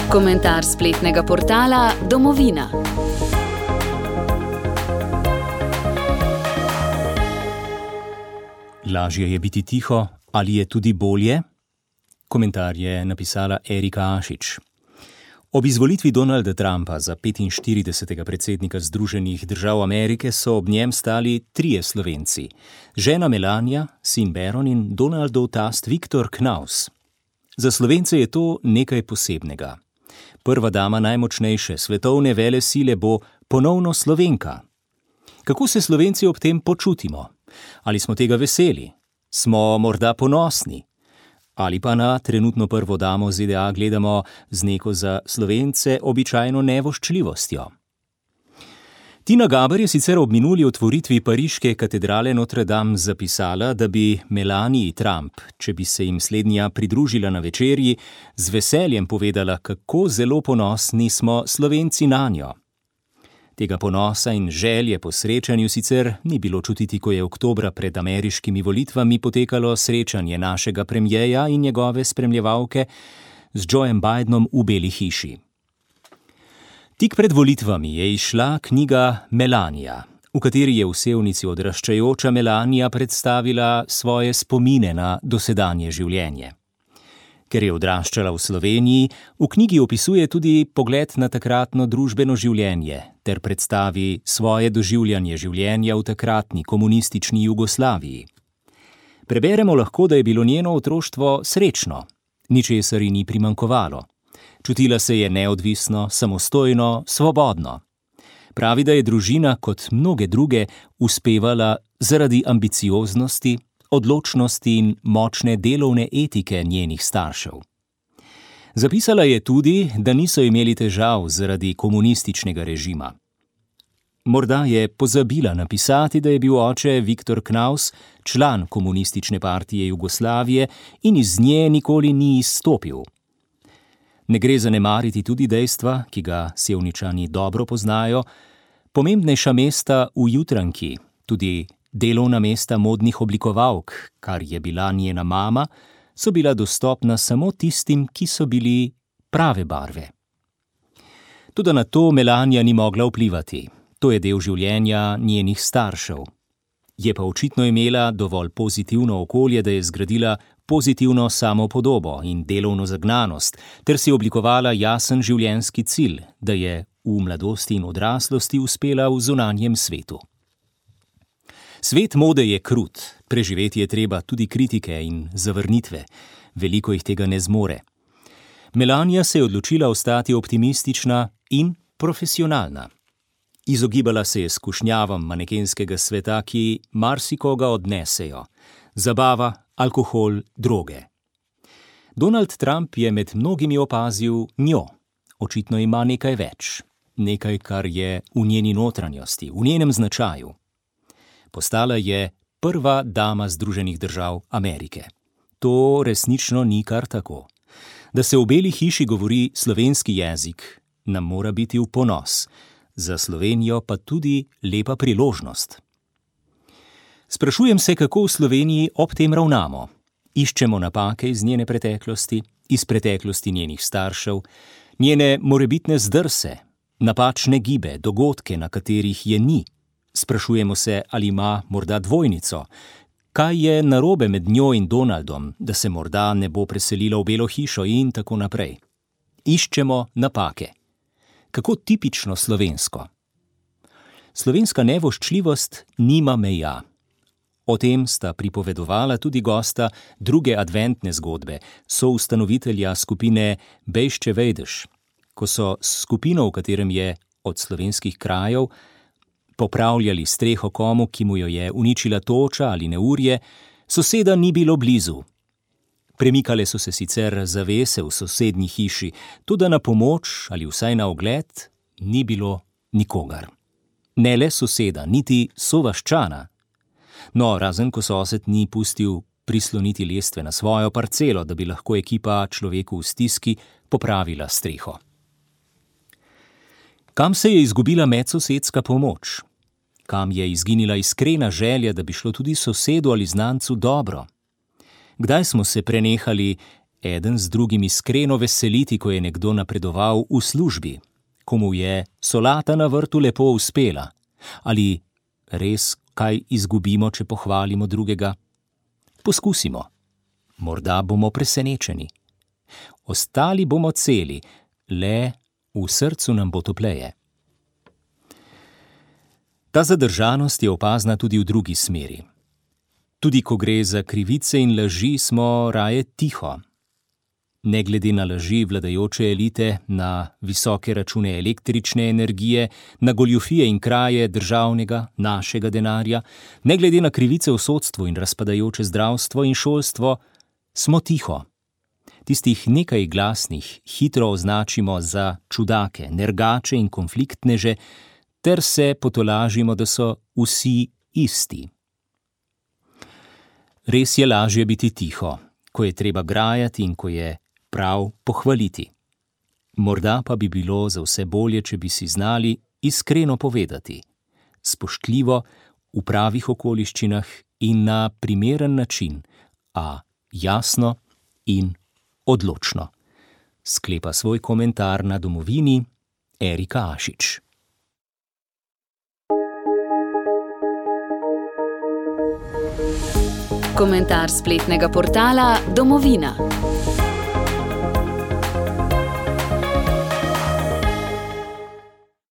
Komentar spletnega portala Domovina. Lažje je biti tiho, ali je tudi bolje? Komentar je napisala Erika Ašič. Ob izvolitvi Donalda Trumpa za 45. predsednika Združenih držav Amerike so ob njem stali trije Slovenci. Žena Melania, sin Beron in Donaldov tast Viktor Knaus. Za Slovence je to nekaj posebnega. Prva dama najmočnejše svetovne velesile bo ponovno Slovenka. Kako se Slovenci ob tem počutimo? Ali smo tega veseli? Smo morda ponosni? Ali pa na trenutno prvo damo ZDA gledamo z neko za Slovence običajno nevoščljivostjo? Tina Gaber je sicer ob minuli otvoritvi pariške katedrale Notre Dame zapisala, da bi Melanii Trump, če bi se jim slednja pridružila na večerji, z veseljem povedala, kako zelo ponosni smo Slovenci nanjo. Tega ponosa in želje po srečanju sicer ni bilo čutiti, ko je oktobra pred ameriškimi volitvami potekalo srečanje našega premierja in njegove spremljevalke z Joeom Bidenom v Beli hiši. Tik pred volitvami je izšla knjiga Melania, v kateri je v sevnici odraščajoča Melania predstavila svoje spomine na dosedanje življenje. Ker je odraščala v Sloveniji, v knjigi opisuje tudi pogled na takratno družbeno življenje ter predstavi svoje doživljanje življenja v takratni komunistični Jugoslaviji. Preberemo lahko, da je bilo njeno otroštvo srečno, ničesar ji ni primanjkovalo. Čutila se je neodvisno, samostojno, svobodno. Pravi, da je družina, kot mnoge druge, uspevala zaradi ambicioznosti, odločnosti in močne delovne etike njenih staršev. Zapisala je tudi, da niso imeli težav zaradi komunističnega režima. Morda je pozabila napisati, da je bil oče Viktor Knaus član komunistične partije Jugoslavije in iz nje nikoli ni izstopil. Ne gre zanemariti tudi dejstva, ki ga Sevničani dobro poznajo, pomembnejša mesta v Jutranki, tudi delovna mesta modnih oblikovalk, kar je bila njena mama, so bila dostopna samo tistim, ki so bili prave barve. Toda na to Melania ni mogla vplivati. To je del življenja njenih staršev. Je pa očitno imela dovolj pozitivno okolje, da je zgradila pozitivno samopodobo in delovno zagnanost, ter si oblikovala jasen življenjski cilj, da je v mladosti in odraslosti uspela v zunanjem svetu. Svet mode je krut, preživeti je treba tudi kritike in zavrnitve. Veliko jih tega ne zmore. Melania se je odločila ostati optimistična in profesionalna. Izogibala se je skušnjavam manekenskega sveta, ki marsikoga odnesejo. Zabava, alkohol, droge. Donald Trump je med mnogimi opazil njo. Očitno ima nekaj več. Nekaj, kar je v njeni notranjosti, v njenem značaju. Postala je prva dama Združenih držav Amerike. To resnično ni kar tako. Da se v Beli hiši govori slovenski jezik, nam mora biti v ponos. Za Slovenijo pa tudi lepa priložnost. Sprašujem se, kako v Sloveniji ob tem ravnamo. Iščemo napake iz njene preteklosti, iz preteklosti njenih staršev, njene morebitne zdrse, napačne gibe, dogodke, na katerih je ni. Sprašujemo se, ali ima morda dvojnico. Kaj je narobe med njo in Donaldom, da se morda ne bo preselila v Belo hišo in tako naprej. Iščemo napake. Kako tipično slovensko. Slovenska nevoščljivost nima meja. O tem sta pripovedovala tudi gosta druge adventne zgodbe, soustanovitelja skupine Bejšče Vejdeš, ko so s skupino, v katerem je od slovenskih krajev, popravljali streho komu, ki mu jo je uničila toča ali neurje, soseda ni bilo blizu. Premikale so se sicer zavese v sosednji hiši, tudi na pomoč ali vsaj na ogled ni bilo nikogar. Ne le soseda, niti sovaščana. No, razen ko sosed ni pustil prisloniti lestve na svojo parcelo, da bi lahko ekipa človeku v stiski popravila streho. Kam se je izgubila medsosedska pomoč? Kam je izginila iskrena želja, da bi šlo tudi sosedu ali znancu dobro? Kdaj smo se prenehali eden z drugim iskreno veseliti, ko je nekdo napredoval v službi, ko mu je solata na vrtu lepo uspela, ali res kaj izgubimo, če pohvalimo drugega. Poskusimo. Morda bomo presenečeni. Ostali bomo celi, le v srcu nam bo topleje. Ta zadržanost je opazna tudi v drugi smeri. Tudi ko gre za krivice in laži, smo raje tiho. Ne glede na laži vladajoče elite, na visoke račune električne energije, na goljufije in kraje državnega, našega denarja, ne glede na krivice v sodstvu in razpadajoče zdravstvo in šolstvo, smo tiho. Tistih nekaj glasnih hitro označimo za čudake, nergače in konfliktneže, ter se potolažimo, da so vsi isti. Res je lažje biti tiho, ko je treba grajati in ko je prav pohvaliti. Morda pa bi bilo za vse bolje, če bi si znali iskreno povedati, spoštljivo, v pravih okoliščinah in na primeren način, a jasno in odločno. Sklepa svoj komentar na Domovini Erika Ašič. Komentar spletnega portala Domovina.